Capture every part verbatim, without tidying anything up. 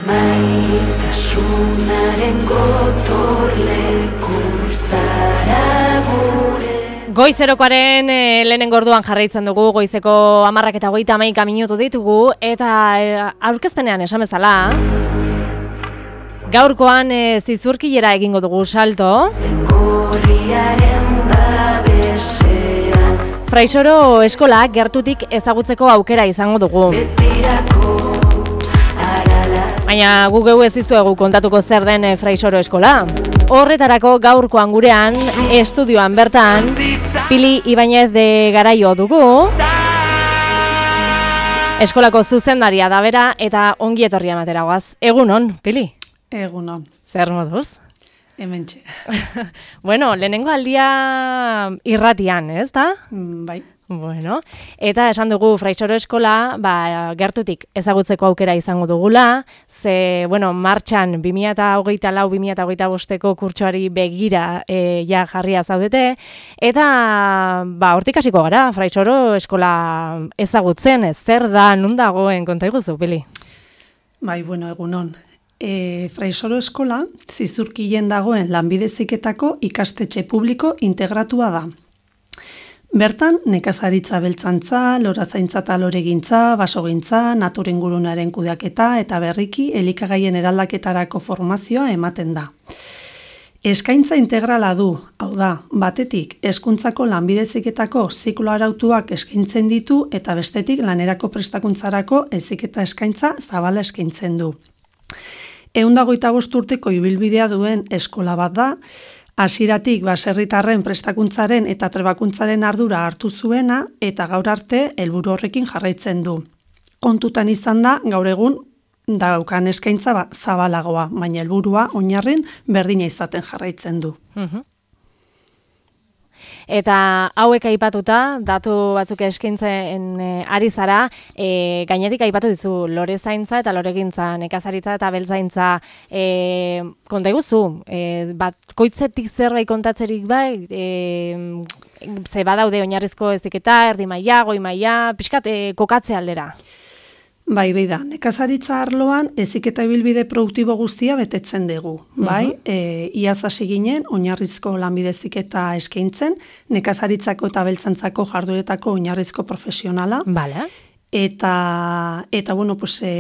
Maitasunaren gotorleku zara gure. Goizerokoaren e, lehenengo orduan jarraitzen dugu, goizeko hamarrak eta hogeita hamaika minutu ditugu, eta e, aurkezpenean esan bezala, gaurkoan e, zizurkilera egingo dugu salto. Fraisoro eskola gertutik ezagutzeko aukera izango dugu. Baina gu geu ez dizuegu kontatuko zer den e, Fraisoro eskola. Horretarako gaurkoan gurean, estudioan bertan, Pili Ibañez de Garaio dugu. Eskolako zuzendaria da bera eta ongi etorria ematera goaz. Egunon, Pili? Egunon. Zer moduz? Hementxe. Bueno, lehenengo aldia irratian, ez da? Mm, bai. Bueno, eta esan dugu Fraisoro eskola, ba, gertutik ezagutzeko aukera izango dugula, ze, bueno, martxan bi mila hogeita lau bi mila hogeita bosteko kurtsoari begira e, ja jarria zaudete, eta ba, hortik hasiko gara, Fraisoro eskola ezagutzen, ez zer da, nun dagoen, konta iguzu, Pili? Bai, bueno, egunon. E, Fraisoro eskola, zizurkilen dagoen lanbide heziketako ikastetxe publiko integratua da. Bertan, nekazaritza beltzantza, lorazaintza eta loregintza, basogintza, naturingurunaren kudeaketa eta berriki elikagaien eraldaketarako formazioa ematen da. Eskaintza integrala du, hau da, batetik hezkuntzako lanbide heziketako ziklo arautuak eskaintzen ditu eta bestetik lanerako prestakuntzarako heziketa eskaintza zabala eskaintzen du. ehun eta hogeita bost urteko ibilbidea duen eskola bat da, hasieratik baserritarren prestakuntzaren eta trebakuntzaren ardura hartu zuena eta gaur arte helburu horrekin jarraitzen du. Kontutan izan da gaur egun daukan eskaintza ba, zabalagoa, baina helburua oinarrin berdina izaten jarraitzen du. Uh-huh. Eta hauek aipatuta, datu batzuk eskaintzen e, ari zara, e, gainetik aipatu dizu lorezaintza eta loregintza, nekazaritza eta beltzaintza, e, konta iguzu, e, bat koitzetik zerbait kontatzerik bai, e, ze badaude oinarrizko heziketa, erdi maila, goi maila, pixkat e, kokatze aldera. Bai, bai da, nekazaritza arloan heziketa ibilbide produktibo guztia betetzen dugu, bai? Uh-huh. E, iaz hasi ginen, oinarrizko lanbide heziketa eskaintzen, nekazaritzako eta beltzantzako jarduretako oinarrizko profesionala. Bale. Eta, eta bueno, pues, e,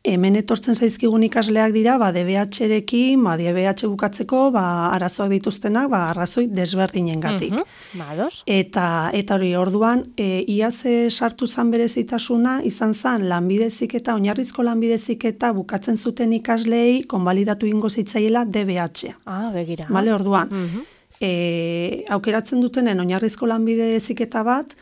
hemen etortzen zaizkigun ikasleak dira, ba, D B H-rekin, ba, D B H bukatzeko, ba, arazoak dituztenak, ba, arrazoi desberdinen gatik. Uh-huh. Bados. Eta, eta hori, orduan, e, iaz sartu zan berezitasuna, izan zan, lanbide heziketa, oinarrizko lanbide heziketa bukatzen zuten ikasleei, konbalidatu ingo zitzaiela D B H. Ah, begira. Bale, orduan, uh-huh. e, aukeratzen dutenen oinarrizko lanbide heziketa bat,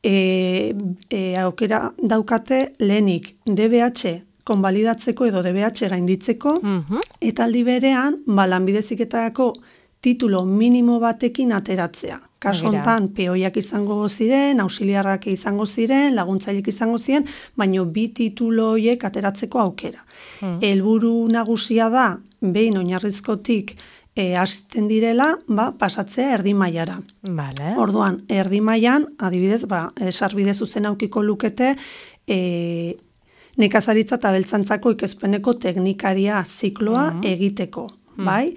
e, e, aukera daukate lehenik D B H konbalidatzeko edo D B H gainditzeko, uh-huh. eta aldi berean, ba, lanbide heziketako titulo minimo batekin ateratzea. Kaso hontan, peoiak izango ziren, auxiliarrak izango ziren, laguntzaileak izango ziren, baino bi titulo horiek ateratzeko aukera. Uh-huh. Helburu nagusia da, behin oinarrizkotik e, hasten direla, ba, pasatzea erdi mailara. Vale. Orduan, erdi mailan, adibidez, ba, sarbide zuzena aukiko lukete, e, nekazaritza eta beltzantzako ikespeneko teknikaria zikloa uh-huh. egiteko, uh-huh. bai?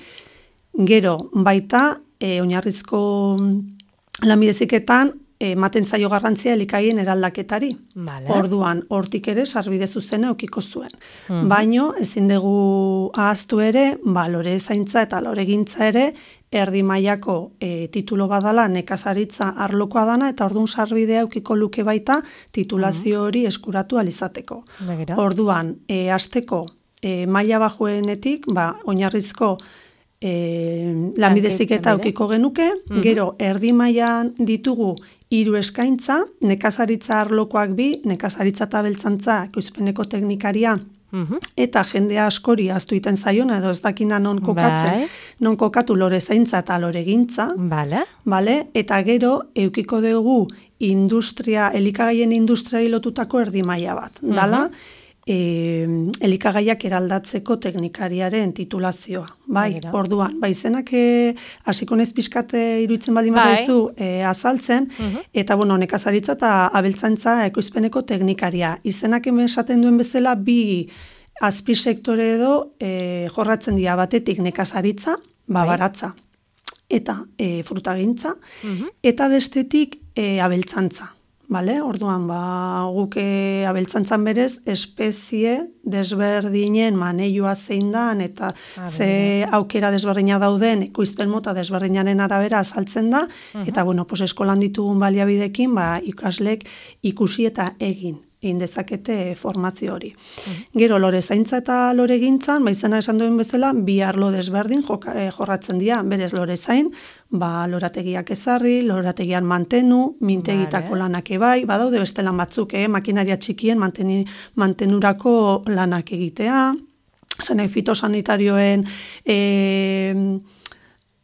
Gero, baita, e, oinarrizko lanbide heziketan ematen zaio garrantzia elikagaien eraldaketari. Vale. Orduan, hortik ere sarbide zuzena eukiko zuen. Uh-huh. Baino, ezin dugu ahaztu ere, ba, lorezaintza eta loregintza ere, erdi mailako e, titulo badala nekazaritza arlokoa dana, eta orduan sarbidea eukiko luke baita titulazio hori eskuratu alizateko. Begira. Orduan, e, hasteko e, maila bajuenetik, ba, oinarrizko E, lanbide heziketa eukiko genuke, uh-huh. gero erdi mailan ditugu hiru eskaintza, nekazaritza arlokoak bi, nekazaritza eta beltzantza ekoizpeneko teknikaria, uh-huh. eta jendea askori ahaztu iten zaiona edo ez dakina non kokatzen, bai. non kokatu lorezaintza eta loregintza, vale. Vale? Eta gero eukiko dugu industria, elikagaien industriari lotutako erdi maila bat. Uh-huh. Dala, E, elikagaiak eraldatzeko teknikariaren titulazioa. Bai, Bagira. Orduan, bai, izenak e, hasiko nez pixkate iruditzen baldin bazaizu e, azaltzen, uh-huh. eta bueno, nekazaritza eta abeltzantza ekoizpeneko teknikaria. Izenak hemen esaten duen bezala bi azpisektore edo e, jorratzen dira batetik nekazaritza, babaratza, eta e, frutagintza, Mhm. eta bestetik e, abeltzantza. Vale? Orduan, ba, guk e, abeltzantzan berez, espezie desberdinen maneioa zein dan, eta Ah, ze aukera desberdina dauden, ekoizpen mota desberdinaren arabera azaltzen da, eta, bueno, pues, eskolan ditugun baliabidekin, ba, ikaslek ikusi eta egin egin dezakete formazio hori. Gero, lore zaintza eta lore gintzan, ba, izena esan duen bezala, bi arlo desberdin joka, eh, jorratzen dira, berez lore zain, ba, lorategiak ezarri, lorategian mantenu, mintegitako Vale. lanak ebai, badaude beste lan batzuk, eh, makinaria txikien manteni, mantenurako lanak egitea, zenai fitosanitarioen e,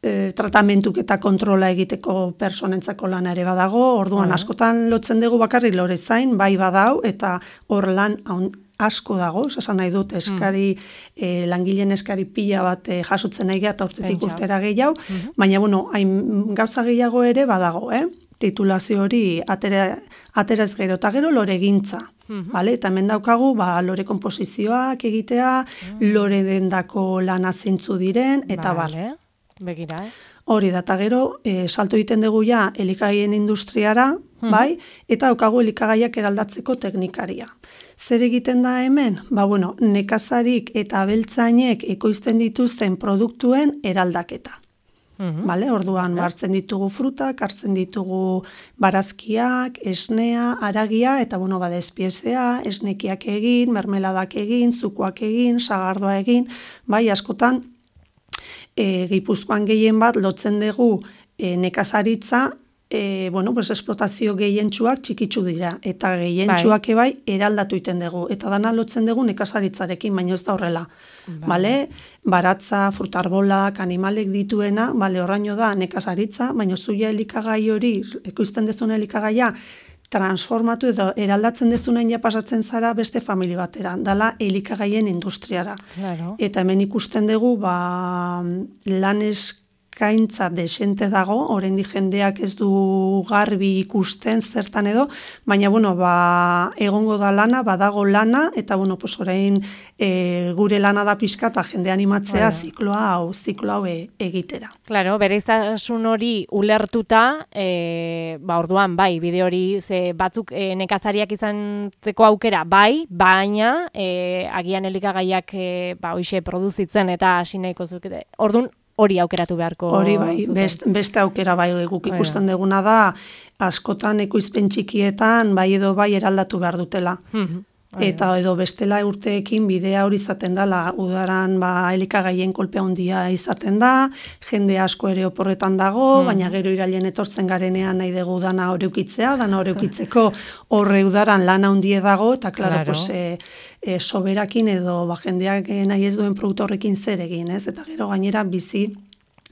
e, tratamentuk eta kontrola egiteko personentzako lana ere badago, orduan Vale. askotan lotzen dugu bakarrik lore zain, bai badau, eta hor lan haun, asko dago, esan nahi dut, eskari, eh, langileen eskari pila bat eh, jasotzen nahi eta urtetik Pentsa. urtera gehiago, baina, bueno, hain gauza gehiago ere badago, eh? Titulazio hori atera, ateraz gero, eta gero lore gintza. Vale? Eta hemen daukagu, ba, lore komposizioak egitea, lore dendako lana zeintzu diren, eta bar. Vale. Begira, eh? Hori da, eta gero, e, salto egiten dugu ja elikagaien industriara, bai, eta daukagu elikagaiak eraldatzeko teknikaria. Zer egiten da hemen? Ba, bueno, nekazarik eta abeltzainek ekoizten dituzten produktuen eraldaketa. Mhm. Vale? Orduan, hartzen ditugu frutak, hartzen ditugu barazkiak, esnea, haragia, eta bueno, bada espiezea, esnekiak egin, mermeladak egin, zukuak egin, sagardoa egin, bai, askotan, e, Gipuzkoan gehien bat lotzen dugu e, nekazaritza, e, bueno, pues esplotazio gehientsuak txikitsu dira, eta gehientsuak ebai eraldatu iten dugu, eta dana lotzen dugu nekazaritzarekin, baina ez da horrela. Bale? Baratza, frutarbolak, animalek dituena, bale, horraino da nekazaritza, baina zuia elikagai hori, ekoizten dezun elikagaia, transformatu edo eraldatzen dezunen ja pasatzen zara beste familia batera, dala elikagaien industriara. Claro. Eta hemen ikusten dugu, ba, lan eskaintza desente dago, oraindik jendeak ez du garbi ikusten zertan edo, baina, bueno, ba, egongo da lana, badago lana, eta, bueno, pues orain e, gure lana da pixkat, ba, jende animatzea Bai. zikloa hau, ziklo hau e, egitera. Claro, bereiztasun hori ulertuta, e, ba orduan bai, bide hori ze batzuk e, nekazariak izantzeko aukera bai, baina e, agian elikagaiak e, ba hoixe produzitzen eta hasi nahiko zukete. Ordun hori aukeratu beharko Hori bai, zuten. best, beste aukera bai guk Bai, ikusten duguna da, askotan ekoizpen txikietan bai edo bai eraldatu behar dutela. Mhm. Bai, Eta edo bestela urteekin bidea hori izaten dela, udaran ba, elikagaien kolpe handia izaten da, jende asko ere oporretan dago, baina gero irailen etortzen garenean nahi dugu dana horeukitzea, dana horeukitzeko horre udaran lana handie dago, eta klaro, Claro. pues, e, e, soberakin edo ba, jendeak nahi ez duen produktu horrekin zer egin, ez? Eta gero gainera bizi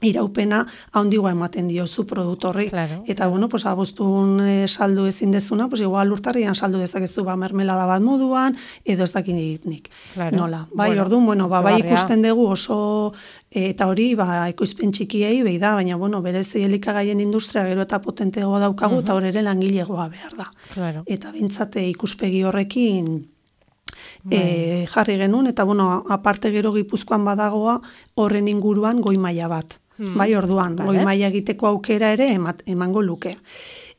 iraupena handigoa ematen diozu produktu horri. Claro. Eta, bueno, pues, abuztun e, saldu ezin dezuna, pues, igual urtarrian saldu dezakezu ba, mermelada bat moduan, edo ez dakit nik. Claro. Nola. Bai, Bueno, orduan, bueno, ba, bai izugarria. ikusten dugu oso, e, eta hori, ba, ekoizpen txikiei behi da, baina, bueno, berez elikagaien industria gero eta potenteagoa daukagu, eta hor ere langilegoa behar da. Claro. Eta bintzate ikuspegi horrekin e, jarri genuen, eta, bueno, aparte gero Gipuzkoan badagoa horren inguruan goi maila bat. Bai, orduan, Vale. goi maila egiteko aukera ere emat, emango luke.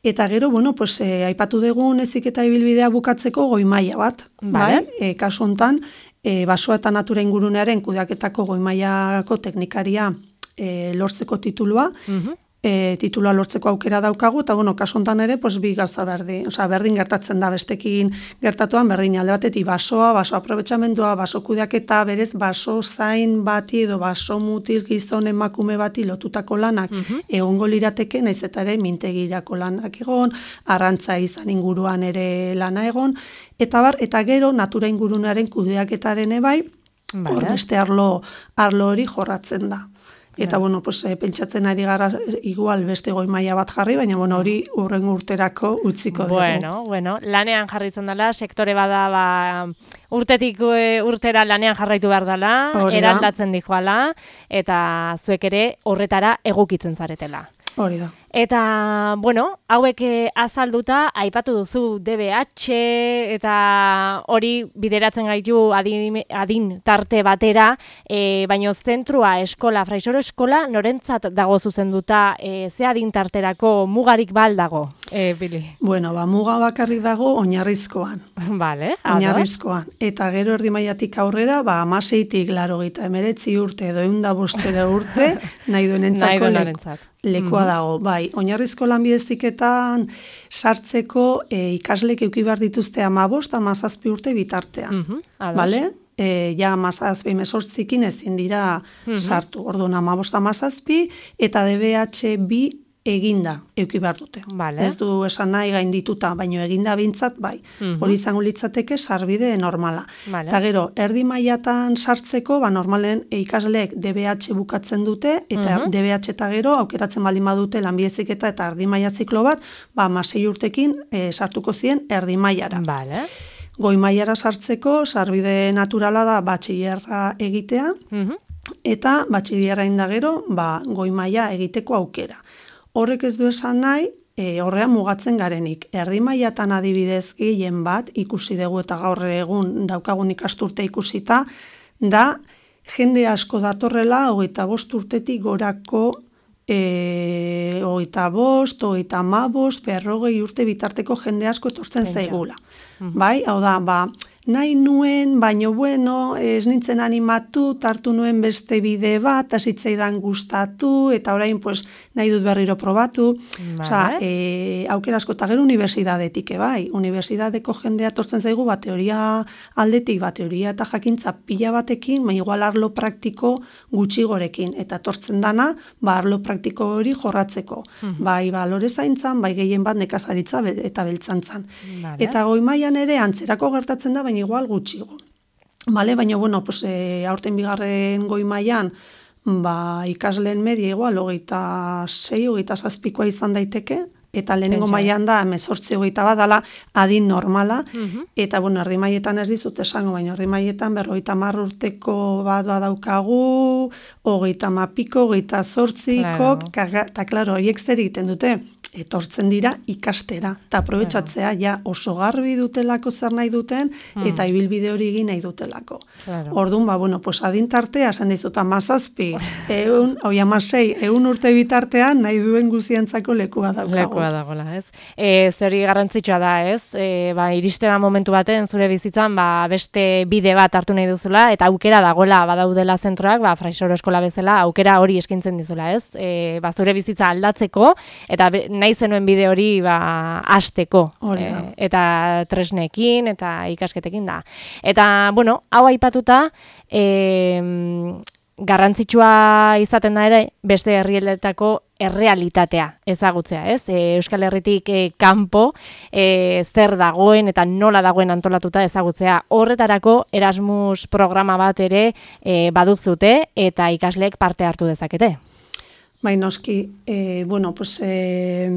Eta gero, bueno, pues, e, aipatu dugun heziketa ibilbidea bukatzeko goi maila bat. Vale. Bai, e, kasu hontan, e, basoa eta natura ingurunearen kudeaketako goi mailako teknikaria e, lortzeko titulua, Mhm. e, titulua lortzeko aukera daukagu, eta, bueno, kasu hontan ere, pues, bi gauza berdin, osea, berdin gertatzen da, bestekin gertatuan, berdin alde batetik basoa, baso aprobetxamendua, baso kudeaketa, berez, baso zain bati edo baso mutil gizon emakume bati lotutako lanak egongo lirateke, naiz eta ere mintegirako lanak egon, arrantza izan inguruan ere lana egon, eta bar, eta gero, natura ingurunearen kudeaketaren ebai, Vale. hor beste arlo, arlo hori jorratzen da. Eta, bueno, pues, e, pentsatzen ari gara igual beste goi maila bat jarri, baina, bueno, hori urrengo urterako utziko dugu. Bueno, bueno, lanean jarritzen dela, sektore bada ba, urtetik e, urtera lanean jarraitu behar dela, Hori da. eraldatzen dijoala, eta zuek ere horretara egokitzen zaretela. Hori da. Eta, bueno, hauek azalduta, aipatu duzu D B H eta hori bideratzen gaitu adin, adin tarte batera, e, baino zentrua eskola, Fraisoro eskola, norentzat dago zuzenduta, e, ze adin tarterako mugarik bal dago, e, Bili? Bueno, ba, muga bakarrik dago oinarrizkoan. Vale, oinarrizkoan. Eta gero erdi mailatik aurrera, ba, amaseitik larogeita emeretzi urte edo eunda bostera urte, nahi duenentzako leku. Lekua dago, bai, oinarrizko lanbideziketan sartzeko e, ikaslek eduki behar dituzte hamabost, hamazazpi urte bitartean. Mm -hmm, bale? E, ja hamazazpi hemezortzikin ezin dira mm -hmm. sartu. Orduan hamabost hamazazpi eta D B H bi eginda eduki behar dute. Vale. Ez du esan nahi gaindituta, baino eginda bintzat bai. Mm-hmm. Hori izango litzateke sarbide normala. Vale. Eta gero, erdi mailatan sartzeko, ba normalen ikasleek D B H bukatzen dute, eta mm-hmm. D B H eta gero, aukeratzen baldin badute lanbideziketa eta erdi maila ziklo bat, ba hamasei urtekin e, sartuko zien erdi mailara. Vale. Goi mailara sartzeko, sarbide naturala da batxillerra egitea, mm-hmm. eta batxillerra indagero, ba, goi maila egiteko aukera. Horrek ez du esan nahi, e, horrean mugatzen garenik. Erdi mailatan adibidez gehien bat, ikusi dugu eta gaur egun daukagun ikasturte ikusita, da jende asko datorrela hogeita bost urtetik gorako e, hogeita bost, hogeita hamabost, berrogei urte bitarteko jende asko etortzen zaigula. Mm-hmm. Bai, hau da, ba, nahi nuen, baino bueno, ez nintzen animatu, tartu nuen beste bide bat, hasitzaidan gustatu, eta orain pues, nahi dut berriro probatu. Vale. Osa, e, aukera asko, eta gero unibertsitatetik, bai, unibertsitateko jendea tortzen zaigu, ba, teoria aldetik, ba, teoria eta jakintza pila batekin, ba, igual arlo praktiko gutxi gorekin, eta tortzen dana, ba, arlo praktiko hori jorratzeko. Mm-hmm. Bai, ba, lore zaintzan, bai, gehien bat nekazaritza eta beltzantzan. Vale. Eta goi mailan ere, antzerako gertatzen da, baina igual gutxigo. Vale, baina, bueno, pues, e, aurten bigarren goi mailan, ba, ikasleen media igual, hogeita sei, hogeita zazpikoa izan daiteke, eta lehenengo mailan da, hemezortzi hogeita bat dala adin normala, uh-huh. eta, bueno, erdi mailetan ez dizut esango, baina erdi mailetan berrogeita hamar urteko bat badaukagu, hogeita hamapiko, hogeita zortzikok, claro. Eta, klaro, horiek zer egiten dute, etortzen dira ikastera, eta aprobetxatzea, claro. Ja oso garbi dutelako zer nahi duten, hmm. eta ibilbide hori egin nahi dutelako. Claro. Orduan, ba, bueno, pues adintartea, esan dizut, amazazpi, eun, oi amasei, eun urte bitartean, nahi duen guzientzako lekua dago. Lekua dagoela, ez? E, zeri garrantzitsua da, ez? E, ba, iriste da momentu baten, zure bizitzan, ba, beste bide bat hartu nahi duzula, eta aukera dagoela badaudela zentroak, ba, Fraisoro eskola bezala, aukera hori eskaintzen dizula, ez? E, ba, zure bizitza aldatzeko, eta be, nahi zenuen bide hori ba, hasteko, e, eta tresnekin, eta ikasketekin da. Eta, bueno, hau aipatuta, e, garrantzitsua izaten da ere, beste herrialdetako errealitatea ezagutzea, ez? E, Euskal Herritik e, kanpo e, zer dagoen eta nola dagoen antolatuta ezagutzea. Horretarako Erasmus programa bat ere e, baduzute eta ikasleek parte hartu dezakete. Bai, noski, e, bueno, pues, e,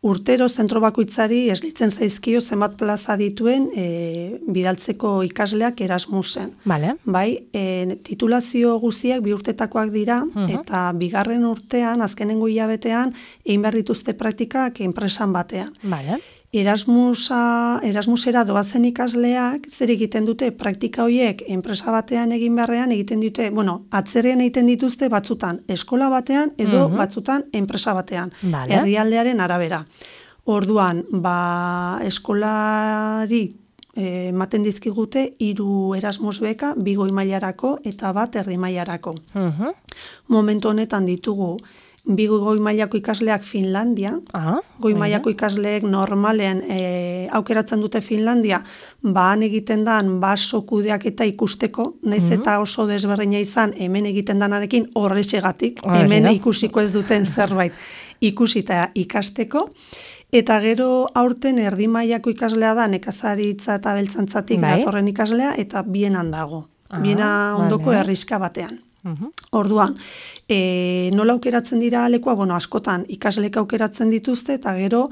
urtero zentro bakoitzari eslitzen zaizkio zenbat plaza dituen e, bidaltzeko ikasleak Erasmusen. Vale. Bai, e, titulazio guztiak bi urtetakoak dira, uh-huh. eta bigarren urtean, azkenengo hilabetean, egin behar dituzte praktikak enpresan batean. Vale. Erasmusa, Erasmusera doazen ikasleak zer egiten dute praktika horiek enpresa batean egin beharrean egiten dute, bueno, atzerrean egiten dituzte batzutan eskola batean edo uh-huh. batzutan enpresa batean, vale. Herrialdearen arabera. Orduan, ba, eskolari ematen eh, dizkigute hiru Erasmus beka, bi goi mailarako eta bat erdi mailarako. Uh-huh. Momentu honetan ditugu bi goi mailako ikasleak Finlandia, ah, goi mailako ikasleek normalean e, aukeratzen dute Finlandia, ba han egiten dan baso kudeaketa ikusteko, naiz mm-hmm. eta oso desberdina izan hemen egiten danarekin horrexegatik, hemen ah, ikusiko ez duten zerbait ikusita ikasteko, eta gero aurten erdi mailako ikaslea da nekazaritza eta beltzantzatik bai. Datorren ikaslea, eta bienan dago, ah, biena ondoko vale. Herriska batean. Uhum. Orduan, e, nola aukeratzen dira lekua, bueno, askotan ikaslek aukeratzen dituzte, eta gero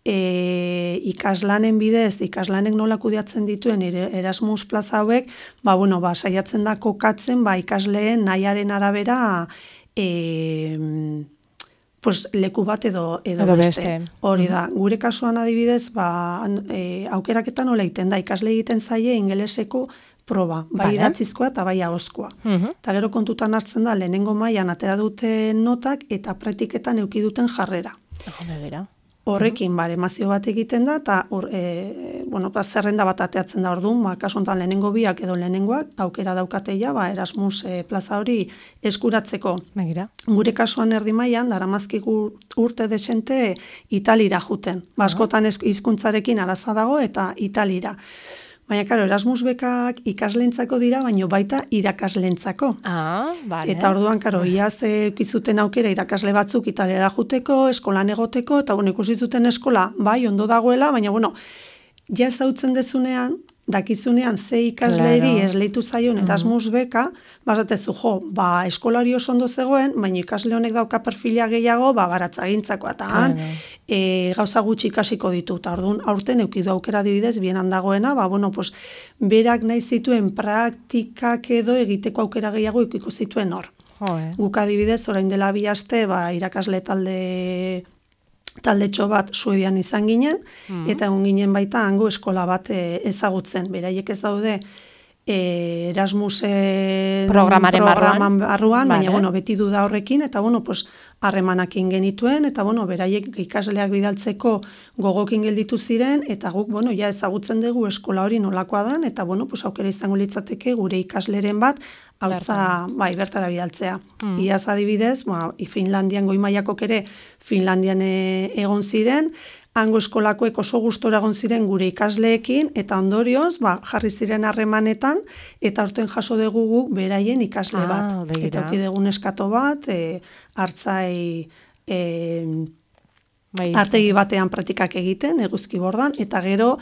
e, ikaslanen bidez, ikaslanek nola kudeatzen dituen Erasmus plaza hauek, ba, bueno, ba, saiatzen da kokatzen, ba, ikasleen nahiaren arabera, e, pues, leku bat edo, edo, Edo beste. beste. Hori da, gure kasuan adibidez, ba, e, aukeraketan nola egiten da, ikasle egiten zaie ingeleseko proba, bai Vale. idatzizkoa eta bai ahozkoa. Mhm. Eta gero kontutan hartzen da, lehenengo mailan atera duten notak eta praktiketan eduki duten jarrera. Jome, bera. Horrekin, bare, emazio bat egiten da, eta hor, e, bueno, ba, zerrenda bat ateatzen da orduan, ba, kasu honetan lehenengo biak edo lehenengoak, aukera daukateia, ba, Erasmus e, plaza hori eskuratzeko. Begira. Gure kasuan erdi mailan daramazkigu urte desente Italira juten. Ba, askotan ez- hizkuntzarekin araza dago eta Italira. Baina, karo, Erasmus bekak ikaslentzako dira, baino baita irakaslentzako. Ah, vale. Eta orduan, karo, iaz ekizuten aukera irakasle batzuk Italiara juteko, eskolan egoteko, eta bueno, ikusi zuten eskola, bai, ondo dagoela, baina, bueno, ja ezautzen dezunean, dakizunean ze ikasleri Claro. esleitu zaion Erasmus beka, bazatezu, jo, ba, eskola hori oso ondo zegoen, baina ikasle honek dauka perfila gehiago, ba, baratzagintzako, eta han, Claro. e, gauza gutxi ikasiko ditu, eta orduan aurten eukidu aukera dibidez, bienan dagoena, ba, bueno, pues, berak nahi zituen praktikak edo egiteko aukera gehiago ikiko zituen hor. Joe. Guk adibidez, orain dela bi aste, ba, irakasle talde taldetxo bat Suedian izan ginen, eta egon ginen baita hango eskola bat e, ezagutzen. Beraiek ez daude e, Erasmusen Programaren programan barruan. barruan, Vale. baina bueno, beti du da horrekin, eta bueno, pues, harremanekin genituen, eta bueno, beraiek ikasleak bidaltzeko gogokin gelditu ziren, eta guk, bueno, ja ezagutzen dugu eskola hori nolakoa dan, eta bueno, pues, aukera izango litzateke gure ikasleren bat, hautza, bai, bertara bidaltzea. Iaz adibidez, ba, Finlandian goi mailakok ere Finlandian e, egon ziren, hango eskolakoek oso gustora egon ziren gure ikasleekin, eta ondorioz, ba, jarri ziren harremanetan, eta aurten jaso dugu guk beraien ikasle Ah, bat. begira. Eta auki dugun eskato bat, e, hartzai e, Bai, artegi batean praktikak egiten, eguzki bordan, eta gero,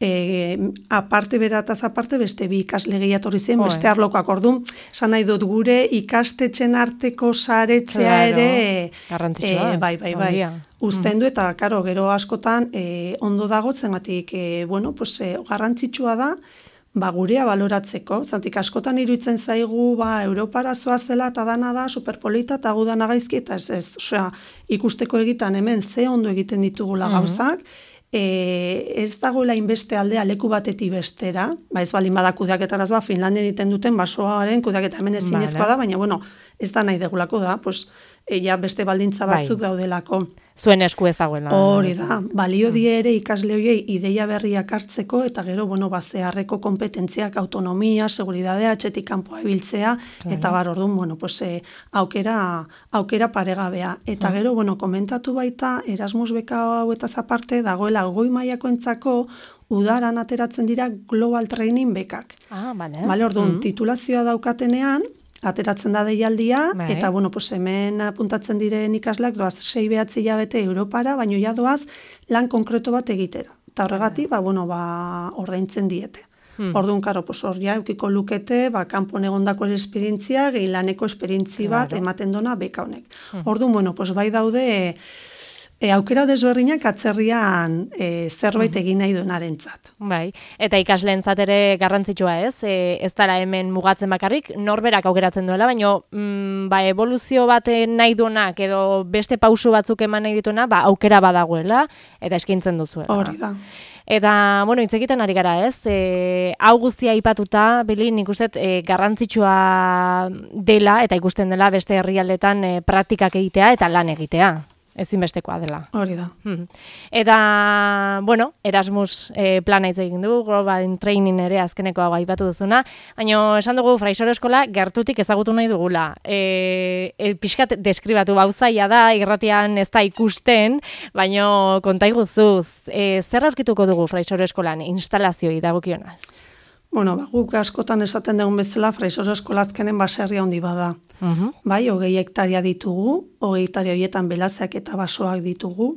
e, aparte berataz aparte, beste bi ikasle gehiatorri ziren, Joe. beste arlokoak orduan, esan nahi dut gure ikastetxen arteko saretzea Claro, ere, garrantzitsua, e, bai, bai, bai, handia. uzten du, eta karo, gero askotan e, ondo dago, zengatik, e, bueno, pues, e, garrantzitsua da, ba, gurea baloratzeko, zantik askotan iruditzen zaigu, ba, Europara zoazela eta dana da, superpolita eta gu dana gaizki, eta ez, ez, osea, ikusteko egitan hemen ze ondo egiten ditugula gauzak, e, ez dagoela inbeste aldea leku batetik bestera, ba, ez baldin bada kudeaketaraz ba, Finlandian egiten duten basoaren kudeaketa hemen ezinezkoa Vale. da, baina, bueno, ez da nahi degulako da, pues, e, ja beste baldintza Bai. batzuk daudelako. Zuen esku ez dagoela. Hori da, balio die ere ikasle horiei ideia berriak hartzeko, eta gero, bueno, bazeharreko kompetentziak, autonomia, seguridadea, atxetik kanpoa ibiltzea, eta bar, orduan, bueno, pues, eh, aukera, aukera paregabea. Eta gero, bueno, komentatu baita, Erasmus beka hauetaz aparte, dagoela goi mailakoentzako udaran ateratzen dira Global Training bekak. Ah, bale. Bale, orduan, titulazioa daukatenean, ateratzen da deialdia, Bai. eta, bueno, pues hemen apuntatzen diren ikasleak doaz sei behatzi hilabete Europara, baino ja doaz lan konkreto bat egitera. Eta horregatik, ba, bueno, ba, ordaintzen diete. Orduan, karo, pues hor ja, eukiko lukete, ba, kanpon egondako esperientzia, gehi laneko esperientzi bat Claro. ematen dona beka honek. Orduan, bueno, pues bai daude, e, aukera desberdinak atzerrian e, zerbait egin nahi duenarentzat. Bai, eta ikasleentzat ere garrantzitsua ez, e, ez dara hemen mugatzen bakarrik, norberak aukeratzen duela, baina mm, ba, evoluzio bat nahi duenak edo beste pausu batzuk eman nahi dituena, ba, aukera badagoela eta eskaintzen duzuela. Hori da. Eta, bueno, hitz egiten ari gara ez, e, hau guztia aipatuta, Bili, nik uste e, garrantzitsua dela eta ikusten dela beste herrialdetan e, praktikak egitea eta lan egitea. Ezinbestekoa dela. Hori da. Hmm. Eta, bueno, Erasmus eh, plana hitz egin du, Global Training ere azkeneko hau aipatu duzuna, baina esan dugu Fraisoro Eskola gertutik ezagutu nahi dugula. E, e, pixkat deskribatu bauzaia da, irratian ez da ikusten, baina konta iguzuz, e, zer aurkituko dugu Fraisoro Eskolan instalazioi dagokionaz? Bueno, ba, guk askotan esaten dugun bezala, Fraisoro Eskola azkenen baserria handi bada. Uh-huh. Bai, hogei hektaria ditugu, hogei hektaria horietan belazak eta basoak ditugu,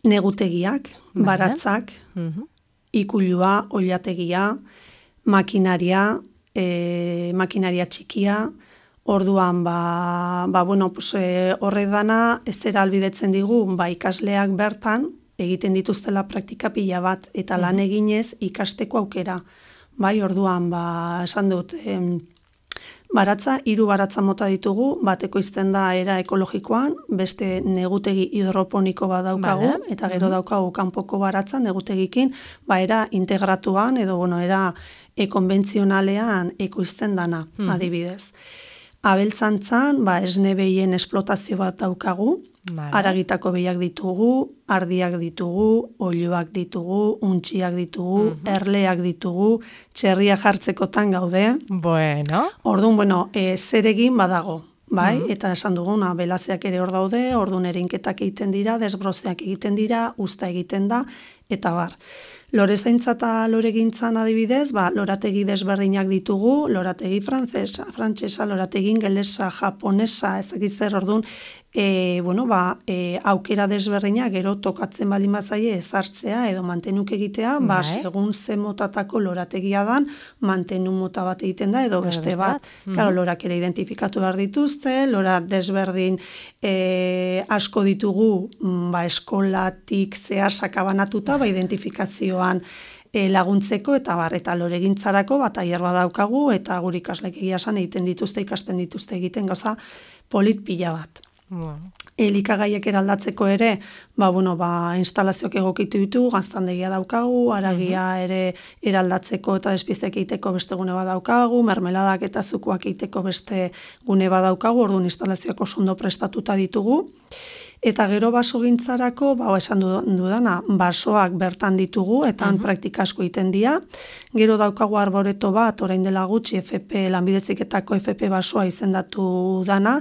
negutegiak, Vale. baratzak, Uh-huh. ikulua, oilategia, makinaria, e, makinaria txikia, orduan, ba, ba bueno, pues, e, horre dana, ez zera albidetzen digu, ba, ikasleak bertan, egiten dituztela praktika pila bat, eta lan eginez ikasteko aukera. Bai, orduan, ba, esan dut, em, Baratza, hiru baratza mota ditugu, bat ekoizten da era ekologikoan, beste negutegi hidroponiko bat daukagu, Vale. eta gero daukagu kanpoko baratza negutegikin, ba era integratuan, edo bueno, era e, konbentzionalean ekoizten dana, adibidez. Abeltzantzan, ba, esne behien esplotazio bat daukagu, Vale. aragitako behiak ditugu, ardiak ditugu, oiloak ditugu, untxiak ditugu, erleak ditugu, txerria jartzekotan gaude. Bueno. Orduan, bueno, e, zer egin badago, bai? Eta esan duguna, belazeak ere hor daude, orduan erinketak egiten dira, desbrozeak egiten dira, usta egiten da, eta bar. Lorezaintza eta loregintzan adibidez, ba, lorategi desberdinak ditugu, lorategi frantzesa, frantsesa, lorategi ingelesa, japonesa, ez dakit zer, orduan, e, bueno, ba, e, aukera desberdinak gero tokatzen baldin bazaie ezartzea edo mantenuk egitea, ba, Bai. segun ze motatako lorategia dan, mantenu mota bat egiten da, edo beste beste bat. bat. Claro, lorak ere identifikatu behar dituzte, lora desberdin e, asko ditugu, mm, ba, eskolatik zehar sakabanatuta, ba, identifikazioan e, laguntzeko, eta bar, eta loregintzarako, bat tailer badaukagu, eta gure ikaslek egia esan egiten dituzte, ikasten dituzte egiten gauza polit pila bat. Bueno. Elikagaiek eraldatzeko ere, ba, bueno, ba, instalazioak egokitu ditu, gaztandegia daukagu, aragia ere eraldatzeko eta despiezek egiteko beste gune bat daukagu, mermeladak eta zukuak egiteko beste gune bat daukagu, orduan instalazioak oso ondo prestatuta ditugu. Eta gero basogintzarako, ba, esan dudana, basoak bertan ditugu, eta han praktika asko egiten dira. Gero daukagu arboreto bat, orain dela gutxi, F P, lanbideziketako F P basoa izendatu dana,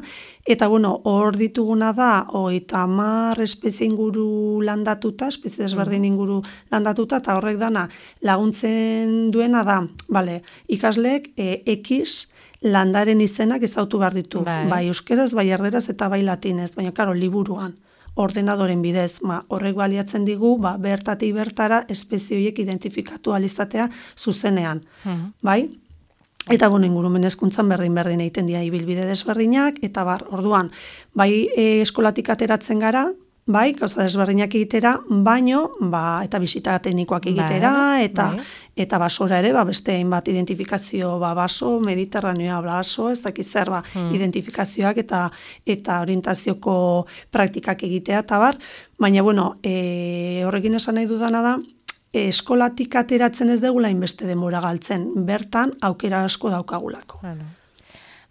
eta bueno, hor dituguna da, hogeita hamar espezie inguru landatuta, espezie desberdin inguru landatuta, eta horrek dana laguntzen duena da, bale, ikasleek e, X, landaren izenak ezautu behar ditu. Bai. Bai euskeraz, bai erderaz eta bai latinez, baina karo, liburuan, ordenadoren bidez, ma, horrek baliatzen digu, ba, bertatik bertara espezie horiek identifikatu alizatea zuzenean. Bai? Eta bueno, ingurumen hezkuntzan berdin-berdin egiten dira ibilbide desberdinak, eta bar, orduan, bai e, eskolatik ateratzen gara, bai, gauza desberdinak egitera, baino, ba, eta bisita teknikoak egitera, Bai, eta bai. eta basora ere, ba, beste hainbat identifikazio, ba, baso, mediterraneoa, baso, ez dakiz zer, ba, identifikazioak eta eta orientazioko praktikak egitea, eta bar, baina, bueno, e, horrekin esan nahi dudana da, e, eskolatik ateratzen ez degula inbeste denbora galtzen, bertan aukera asko daukagulako. Bueno.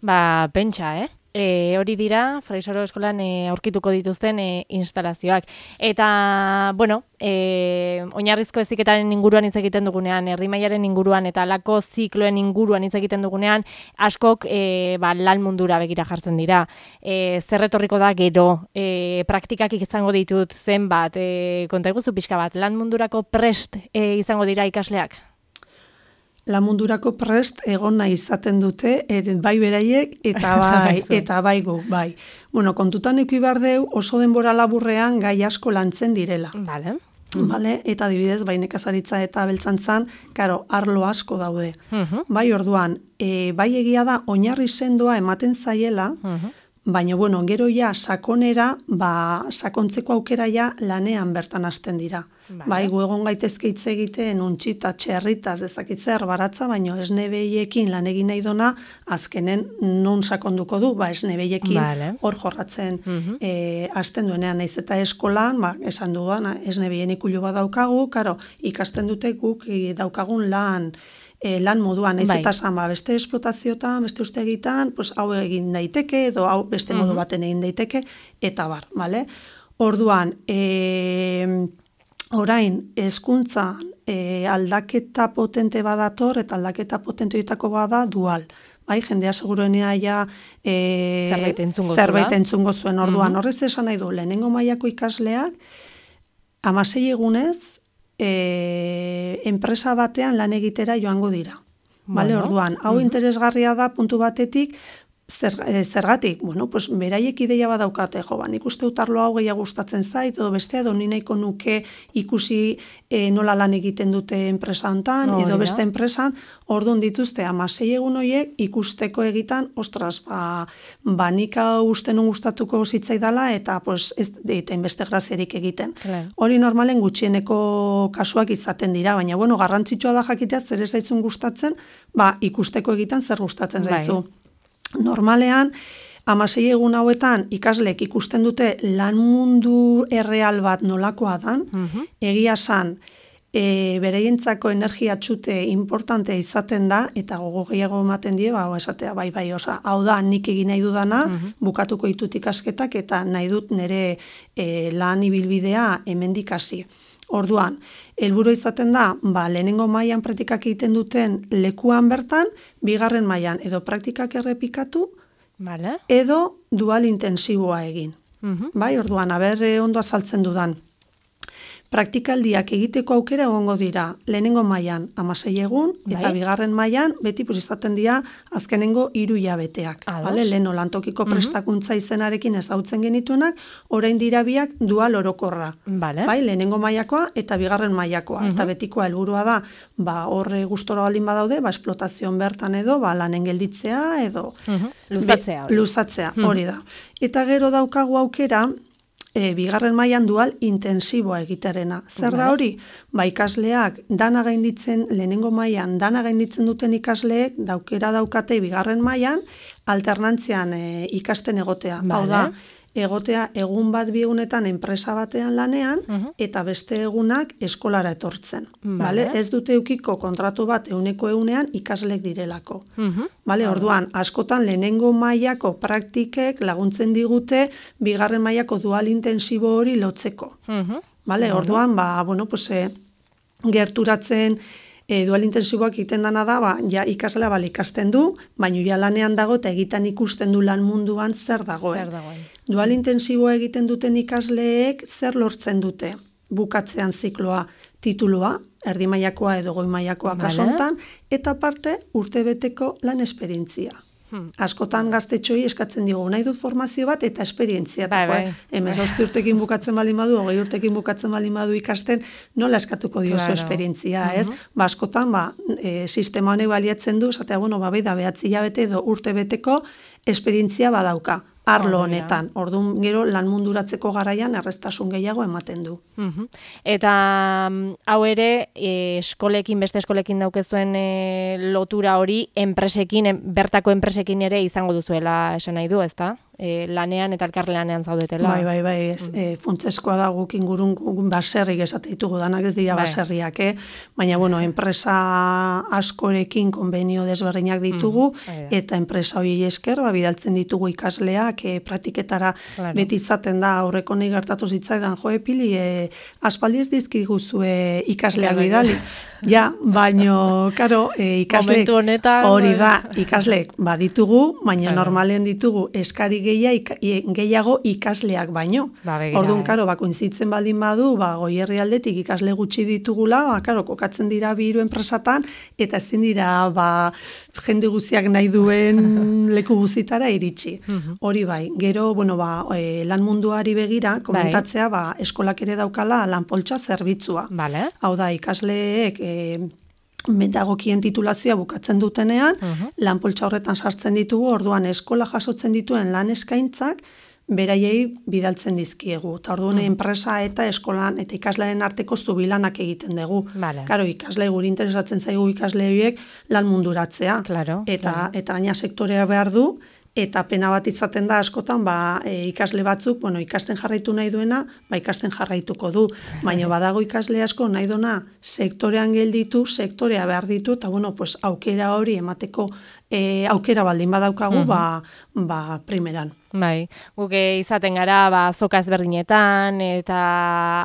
Ba, pentsa, eh? E, hori dira, Fraisoro eskolan e, aurkituko dituzten e, instalazioak. Eta, bueno, e, oinarrizko heziketaren inguruan hitz egiten dugunean, herri-mailaren inguruan eta halako zikloen inguruan hitz egiten dugunean, askok e, ba, lan mundura begira jartzen dira. E, zer etorriko da gero, e, praktikak izango ditut zenbat, e, konta iguzu pixka bat, lan mundurako prest e, izango dira ikasleak? Lan mundurako prest egon nahi izaten dute, et, bai beraiek eta bai, eta bai gu, bai. Bueno, kontutan eki behar deu oso denbora laburrean gai asko lantzen direla. Vale. Vale? Eta adibidez, bai nekazaritza eta beltzantzan, karo, arlo asko daude. Mhm. Bai orduan, e, bai egia da, oinarri sendoa ematen zaiela, baina, bueno, gero ja sakonera, ba, sakontzeko aukera ja lanean bertan hasten dira. Vale. Bai, gu egon gaitezke hitz egiten untxita, txerritaz, ezakitzer baratza, baina esne behiekin lan egin nahi dona, azkenen non sakonduko du, ba, esne behiekin Vale. hor jorratzen eh, hasten duenean, naiz eta eskolan, ba, esan dudan, esne behien ikulu bat daukagu, karo, ikasten dute guk eh, daukagun lan, E, lan moduan, naiz Bai. eta esan, ba, beste esplotaziotan, beste uste egitan, pues, hau egin daiteke, edo hau beste modu baten egin daiteke, eta bar, bale? Orduan, e, orain, hezkuntzan e, aldaketa potente badator, eta aldaketa potente horietako bada dual. Bai, jendea seguruenea ja e, Zerbait entzungo zerbait zuela. entzungo zuen. Orduan, horrez esan nahi du, lehenengo mailako ikasleak, hamasei egunez, E, enpresa batean lan egitera joango dira. Bale, Bueno. orduan, hau interesgarria da puntu batetik, zer, e, zergatik, bueno, pues beraiek ideia badaukate, jo, ba, nik uste utarlo hau gehiago gustatzen zait, edo bestea, edo ni nahiko nuke ikusi e, nola lan egiten dute enpresa hontan, Hori edo da. beste enpresan, orduan dituzte, hamasei egun horiek ikusteko egitan, ostras, ba, ba nik hau uste nun gustatuko zitzaidala, eta pues, ez deiten beste graziarik egiten. Claro. Hori normalen gutxieneko kasuak izaten dira, baina bueno, garrantzitsua da jakitea zer ez zaitzun gustatzen, ba ikusteko egitan zer gustatzen Bai. zaizu. Normalean, hamasei egun hauetan ikasleek ikusten dute lan mundu erreal bat nolakoa dan, Mhm. egia san, e, bereientzako energia txute importantea izaten da, eta gogo gehiago ematen die, ba, esatea, bai, bai, osa, hau da, nik egin nahi dudana, bukatuko ditut ikasketak, eta nahi dut nire e, lan ibilbidea hemendik hasi. Orduan, helburu izaten da, ba, lehenengo mailan praktikak egiten duten lekuan bertan, bigarren mailan edo praktikak errepikatu, Vale. edo dual intensiboa egin. Mhm. Bai, orduan, aber eh, ondo azaltzen dudan. Praktikaldiak egiteko aukera egongo dira, lehenengo mailan hamasei egun, eta Bai. bigarren mailan beti pues, izaten dira azkenengo hiru hilabeteak. Ados. Vale? Leheno lantokiko prestakuntza izenarekin ezagutzen genituenak, orain dira biak dual orokorra. Vale. Bai, lehenengo mailakoa eta bigarren mailakoa. Eta betikoa helburua da, ba, horre gustora baldin badaude, ba, esplotazioan bertan edo, ba, lanen gelditzea edo... Mhm. Luzatzea hori. Luzatzea, hori da. Eta gero daukagu aukera, e, bigarren mailan dual intensiboa egiterena. Zer da hori? Ba, ikasleak dana gainditzen, lehenengo mailan dana gainditzen duten ikasleek, daukera daukate bigarren mailan alternantzian e, ikasten egotea. Hau da, egotea egun bat bi egunetan enpresa batean lanean, eta beste egunak eskolara etortzen. Vale? Ez dute eukiko kontratu bat euneko eunean ikaslek direlako. Vale? Orduan, askotan lehenengo mailako praktikek laguntzen digute bigarren mailako dual intensibo hori lotzeko. Vale? Orduan, ba, bueno, pues, e, gerturatzen E, dual intensiboak egiten dana da, ba, ja ikaslea bal ikasten du, baina ja lanean dago eta egiten ikusten du lan munduan zer dagoen. Zer dagoen. Dual intensiboa egiten duten ikasleek zer lortzen dute? Bukatzean zikloa, titulua, erdi mailakoa edo goi mailakoa kasu honetan, eta parte urtebeteko lan esperientzia. Hmm. Askotan gaztetxoi eskatzen digu, nahi dut formazio bat eta esperientzia. Bai, bai. hemezortzi urtekin bukatzen baldin badu, hogei urtekin bukatzen baldin badu ikasten, nola eskatuko diozu Claro. esperientzia, ez? Ba, askotan, ba, e, sistema honek baliatzen du, esatea, bueno, ba, bai da, behatzi hilabete edo urte beteko esperientzia badauka, arlo Hori da. honetan. Orduan, gero, lan munduratzeko garaian erreztasun gehiago ematen du. Mhm. Eta mm, hau ere, e, eskolekin, beste eskolekin daukezuen e, lotura hori, enpresekin, en, bertako enpresekin ere izango duzuela esan nahi du, ezta? E, lanean eta elkarlanean zaudetela. Bai, bai, bai, ez, e, funtseskoa da guk ingurun guk baserrik esate ditugu, danak ez dira Bai. baserriak, eh? Baina, bueno, enpresa askorekin konbenio desberdinak ditugu, Bai da. eta enpresa hori esker, ba, bidaltzen ditugu ikasleak, e, praktiketara Claro. beti izaten da, aurreko nahi gertatu zitzaidan, jo, epili, e, aspaldi ez dizkiguzue ikasleak Bai, bai. bidali. Ja, baino, karo, e, ikasleek, Momentu honetan, hori bai. da, ikasleek baditugu, baina Claro. normalean ditugu eskari gehia, ika, gehiago ikasleak baino. Ba, begira, Orduan, eh. karo, ba, kointzitzen baldin badu, ba, goierri aldetik ikasle gutxi ditugula, ba, karo, kokatzen dira bi hiru enpresatan, eta ezin dira, ba, jende guztiak nahi duen leku guztitara iritsi. Hori bai, gero, bueno, ba, e, lan munduari begira, komentatzea, ba, eskolak ere daukala lanpoltsa zerbitzua. Vale. Hau da, ikasleek e, metagokien titulazioa bukatzen dutenean, lanpoltsa horretan sartzen ditugu, orduan eskola jasotzen dituen lan eskaintzak, beraiei bidaltzen dizkiegu. Eta orduan enpresa eta eskolan eta ikaslaren arteko zubilanak egiten dugu. Vale. Karo, ikasle guri interesatzen zaigu ikasle horiek lan munduratzea. Claro, eta, claro. eta gaina sektorea behar du, eta pena bat izaten da askotan, ba, e, ikasle batzuk, bueno, ikasten jarraitu nahi duena, ba, ikasten jarraituko du. Baina badago ikasle asko nahi dona sektorean gelditu, sektorea behar ditu, eta bueno, pues, aukera hori emateko e, aukera baldin badaukagu, ba, ba, primeran. Bai, guk izaten gara ba, zoka ezberdinetan eta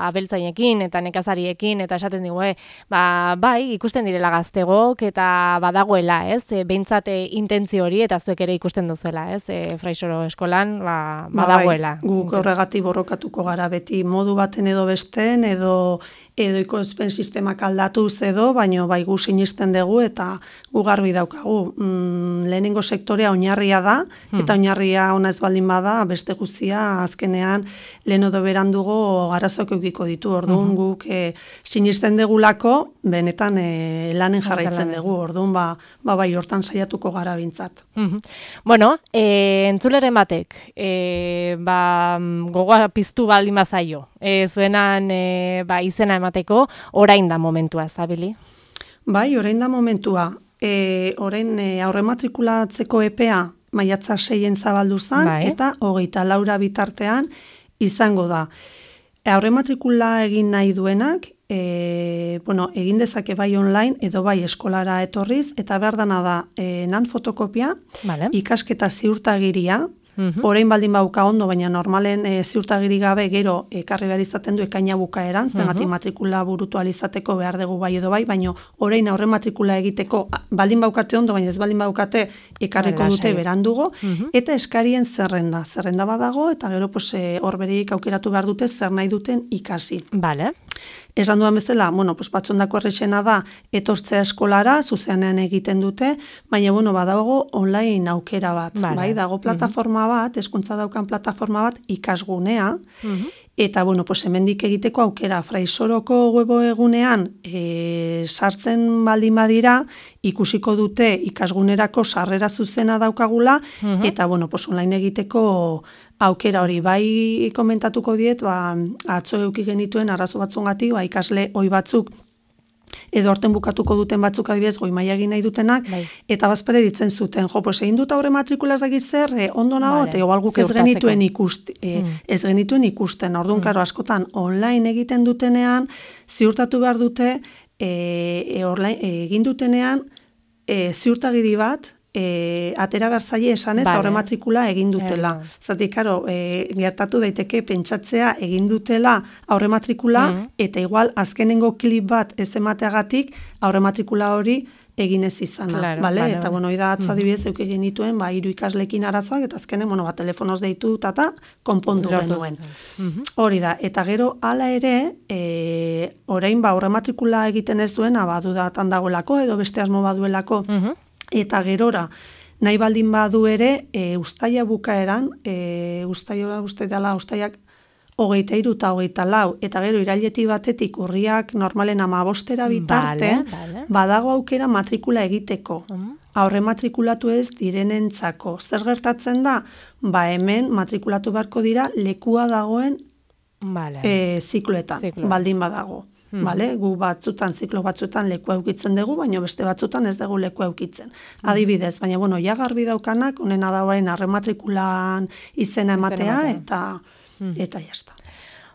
abeltzainekin eta nekazariekin eta esaten digu, eh, ba, bai, ikusten direla gaztegok eta badagoela, ez? E, behintzat e, intentzio hori eta zuek ere ikusten duzuela, ez? E, Fraisoro eskolan ba, badagoela. Ba, bai, guk horregatik borrokatuko gara beti modu baten edo besten edo edo ikoizpen sistemak aldatuz edo, baino bai gu sinisten dugu eta gu garbi daukagu. Mm, lehenengo sektorea oinarria da, eta oinarria ona ez baldin bada, beste guztia azkenean lehen edo berandugo arazoak eukiko ditu. Orduan guk e, sinisten degulako, benetan e, lanen jarraitzen dugu. Orduan ba, ba bai hortan saiatuko gara bintzat. Bueno, e, entzuleren batek, e, ba, gogoa piztu baldin bazaio, e, zuenan e, ba, izena emateko, orain da momentua, zabili? Bai, orain da momentua. E, orain e, aurre matrikulatzeko epea maiatza seien zabaldu zen, bai. eta hogeita laura bitartean izango da. Aurrematrikula egin nahi duenak, e, bueno, egin dezake bai online edo bai eskolara etorriz, eta behar dana da e, nan fotokopia, vale. ikasketa ziurtagiria, Mhm. orain baldin bauka ondo, baina normalen e, ziurtagiri gabe gero ekarri behar izaten du ekaina bukaeran, zengatik Mhm. matrikula burutu alizateko behar dugu bai edo bai, baina orain aurre matrikula egiteko a, baldin baukate ondo, baina ez baldin baukate ekarriko Bai, dute lasai. berandugo, Mhm. eta eskarien zerrenda. Zerrenda badago, eta gero pues, e, hor bereik aukeratu behar dute zer nahi duten ikasi. Vale. Esan duan bezala, bueno, pues batzuendako errexena da etortzea eskolara, zuzenean egiten dute, baina bueno, badago online aukera bat, Vale. bai, dago plataforma bat, hezkuntza daukan plataforma bat ikasgunea, Mhm. eta bueno, pues hemendik egiteko aukera Fraisoroko webo egunean e, sartzen baldin badira, ikusiko dute ikasgunerako sarrera zuzena daukagula, Mhm. eta bueno, pues online egiteko aukera hori bai komentatuko diet, ba, atzo eduki genituen arazo batzungatik, ba, ikasle ohi batzuk edo horten bukatuko duten batzuk adibidez goi maila egin nahi dutenak, Bai. eta bazpere ditzen zuten, jo, pues egin dut aurre matrikula ez dakit zer, e, ondo nago, Vale. eta igual guk ez Ziurtatzeko. genituen ikusti, e, Mm. ez genituen ikusten, orduan, karo, askotan online egiten dutenean, ziurtatu behar dute, e, e, online, e, egin dutenean, e, ziurtagiri bat, e, atera behar zaie esanez Vale. aurre matrikula egin dutela. Egin. Zatik, karo, e, gertatu daiteke pentsatzea egin dutela aurre matrikula, Mhm. eta igual azkenengo klip bat ez emateagatik aurre matrikula hori egin ez izana, Claro, bale? vale, Eta, vale. bueno, da atzo adibidez euki genituen, ba, hiru ikaslekin arazoak, eta azkenen, bueno, ba, telefonoz deitu, tata, konpondu Lortu genuen. zen. Mhm. Hori da, eta gero hala ere, e, orain ba, aurre matrikula egiten ez duena, ba, dudatan dagoelako, edo beste asmo baduelako, Mhm. eta gerora, nahi baldin badu ere, e, ustaia bukaeran, e, ustaia, uste dela, ustaiak hogeita hiru eta hogeita lau, eta gero iraileti batetik urriak normalen amabostera bitarte, Vale, vale. badago aukera matrikula egiteko. Mhm. Aurre matrikulatu ez direnentzako. Zer gertatzen da? Ba hemen matrikulatu beharko dira lekua dagoen Vale. e, zikloetan, Zikloan. baldin badago. Mhm. Bale? Gu batzutan, ziklo batzutan lekua eukitzen dugu, baina beste batzutan ez dugu lekua eukitzen. Adibidez, baina bueno, ja garbi daukanak, honena da orain arrematrikulan izena ematea, ematea. eta eta jazta.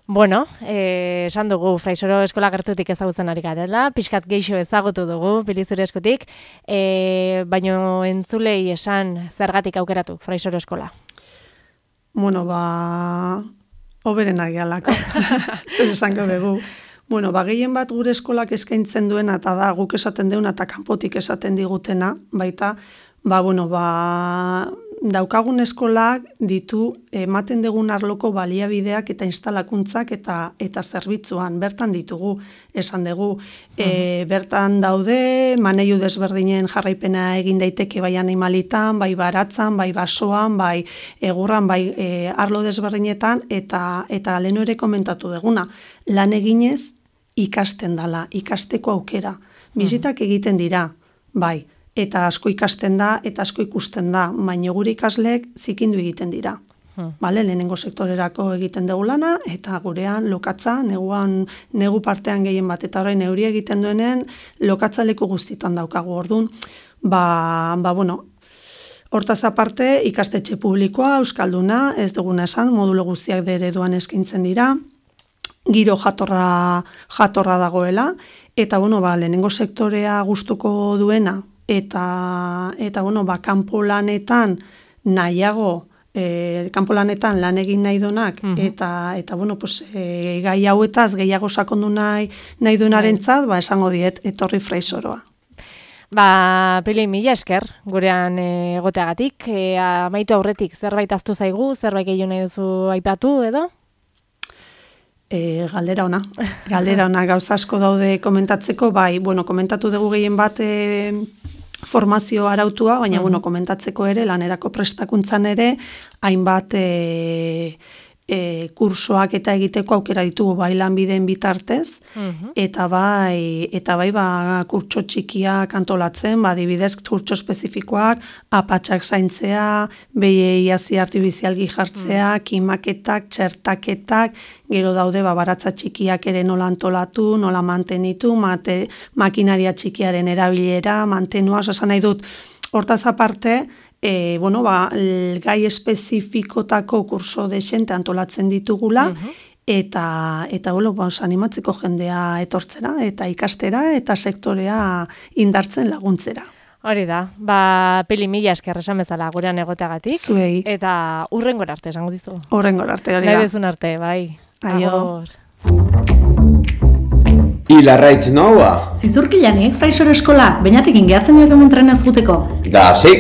Bueno, eh, esan dugu, Fraisoro eskola gertutik ezagutzen ari garela, pixkat geixo ezagutu dugu, Pilizure eskutik, eh, baino entzulei esan zergatik aukeratu Fraisoro eskola. Bueno, ba, hoberen agialako, zer esango dugu. Bueno, ba, gehien bat gure eskolak eskaintzen duena, eta da, guk esaten deuna, eta kanpotik esaten digutena, baita, ba, bueno, ba, daukagun eskolak ditu ematen dugun arloko baliabideak eta instalakuntzak eta eta zerbitzuan bertan ditugu, esan dugu. E, bertan daude maneiu desberdinen jarraipena egin daiteke bai animalitan, bai baratzan, bai basoan, bai egurran, bai e, arlo desberdinetan, eta eta lehenu ere komentatu duguna, lan eginez ikasten dala, ikasteko aukera. Bizitak egiten dira, bai, eta asko ikasten da, eta asko ikusten da, baina gure ikasleek zikindu egiten dira. Hmm. Bale, lehenengo sektorerako egiten dugu lana, eta gurean lokatza, neguan, negu partean gehien bat, eta orain neuri egiten duenen lokatza leku guztitan daukagu orduan. Ba, ba bueno, hortaz aparte, ikastetxe publikoa, euskalduna, ez duguna esan, modulo guztiak de ereduan eskaintzen dira, giro jatorra, jatorra dagoela, eta bueno, ba, lehenengo sektorea gustuko duena, eta, eta bueno, ba, kanpo lanetan nahiago, e, kanpo lanetan lan egin nahi donak, Mhm. eta, eta bueno, pues, e, gai hauetaz gehiago sakondu nahi, nahi duenarentzat, ba, esango diet, etorri Fraisoroa. Ba, Pili, mila esker, gurean e, egoteagatik, e, amaitu aurretik zerbait aztu zaigu, zerbait gehiago nahi duzu aipatu edo? E, galdera ona, galdera ona, gauza asko daude komentatzeko, bai, bueno, komentatu dugu gehien bat e, formazio arautua, baina, Mhm. bueno, komentatzeko ere, lanerako prestakuntzan ere, hainbat e, e, kursoak eta egiteko aukera ditugu bai lanbideen bitartez, Mhm. eta bai, eta bai, ba, kurtso txikiak antolatzen, ba, adibidez, kurtso espezifikoak, apatxak zaintzea, behiei hazi artibizialgi jartzea, kimaketak, txertaketak, gero daude, ba, baratza txikiak ere nola antolatu, nola mantenitu, mate, makinaria txikiaren erabilera, mantenua, esan nahi dut, hortaz aparte, e, bueno, ba, gai espezifikotako kurso desente antolatzen ditugula, uh-huh. eta, eta bueno, ba, animatzeko jendea etortzera, eta ikastera, eta sektorea indartzen laguntzera. Hori da, ba, peli mila esker esan bezala gurean egoteagatik. Zuei. Eta urrengor arte, esango dizu. Urrengor arte, hori da. Nahi dezun arte, bai. Aio. I larraitz noa? Zizurkilanik, Fraisoro eskola, bainatik ingeatzen joak hemen trenez juteko. Da, zeika